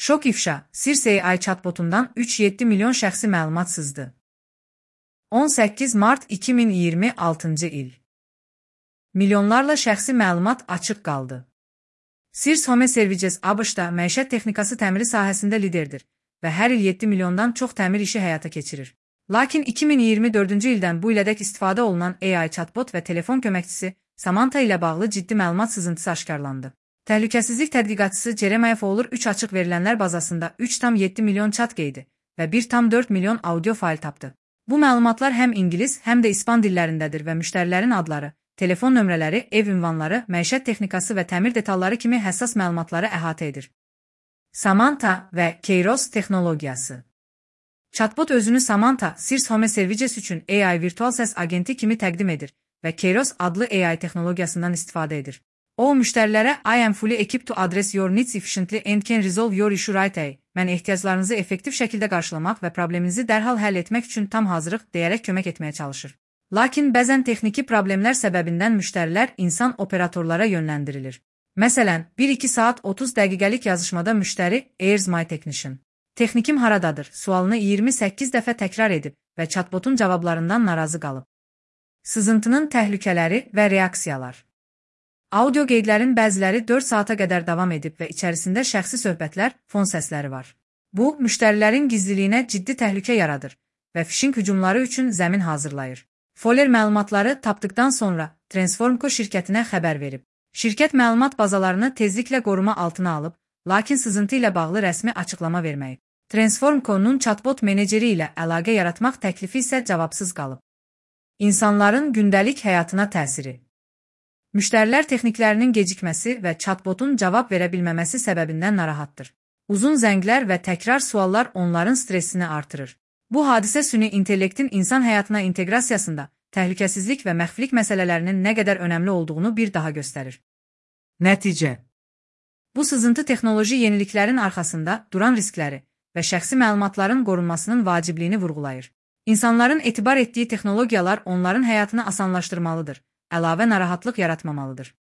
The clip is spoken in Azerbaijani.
Şok ifşa, Sirs AI chatbotundan 3,7 milyon şəxsi məlumat sızdı. 18 Mart 2026 il. Milyonlarla şəxsi məlumat açıq qaldı. Sirs Home Services ABŞ-da məişət texnikası təmiri sahəsində liderdir və hər il 7 milyondan çox təmir işi həyata keçirir. Lakin 2024-cü ildən bu ilədək istifadə olunan AI chatbot və telefon köməkçisi Samantha ilə bağlı ciddi məlumat sızıntısı aşkarlandı. Təhlükəsizlik tədqiqatçısı Jeremiah Fowler 3 açıq verilənlər bazasında 3,7 milyon chat qeydi və 1,4 milyon audio fayl tapdı. Bu məlumatlar həm ingilis, həm də ispan dillərindədir və müştərilərin adları, telefon nömrələri, ev ünvanları, məişət texnikası və təmir detalları kimi həssas məlumatları əhatə edir. Samantha və Kairos texnologiyası. Chatbot özünü Samantha, Sirs Home Services üçün AI virtual səs agenti kimi təqdim edir və Kairos adlı AI texnologiyasından istifadə edir. O, müştərilərə I am fully equipped to address your needs efficiently and can resolve your issue right away. Mən ehtiyaclarınızı effektiv şəkildə qarşılamaq və probleminizi dərhal həll etmək üçün tam hazırıq deyərək kömək etməyə çalışır. Lakin bəzən texniki problemlər səbəbindən müştərilər insan operatorlara yönləndirilir. Məsələn, 1-2 saat 30 dəqiqəlik yazışmada müştəri "Where's my technician? Texnikim haradadır?" sualını 28 dəfə təkrar edib və chatbotun cavablarından narazı qalıb. Sızıntının təhlükələri və reaksiyalar. Audio qeydlərin bəziləri 4 saata qədər davam edib və içərisində şəxsi söhbətlər, fon səsləri var. Bu, müştərilərin gizliliyinə ciddi təhlükə yaradır və phishing hücumları üçün zəmin hazırlayır. Fowler məlumatları tapdıqdan sonra Transformco şirkətinə xəbər verib. Şirkət məlumat bazalarını tezliklə qoruma altına alıb, lakin sızıntı ilə bağlı rəsmi açıqlama verməyib. Transformco'nun chatbot meneceri ilə əlaqə yaratmaq təklifi isə cavabsız qalıb. İnsanların gündəlik həyatına təsiri. Müştərilər texniklərinin gecikməsi və chatbotun cavab verə bilməməsi səbəbindən narahatdır. Uzun zənglər və təkrar suallar onların stressini artırır. Bu hadisə süni intellektin insan həyatına inteqrasiyasında təhlükəsizlik və məxfilik məsələlərinin nə qədər önəmli olduğunu bir daha göstərir. Nəticə. Bu sızıntı texnoloji yeniliklərin arxasında duran riskləri və şəxsi məlumatların qorunmasının vacibliyini vurğulayır. İnsanların etibar etdiyi texnologiyalar onların həyatını asanlaşdırmalıdır, əlavə narahatlıq yaratmamalıdır.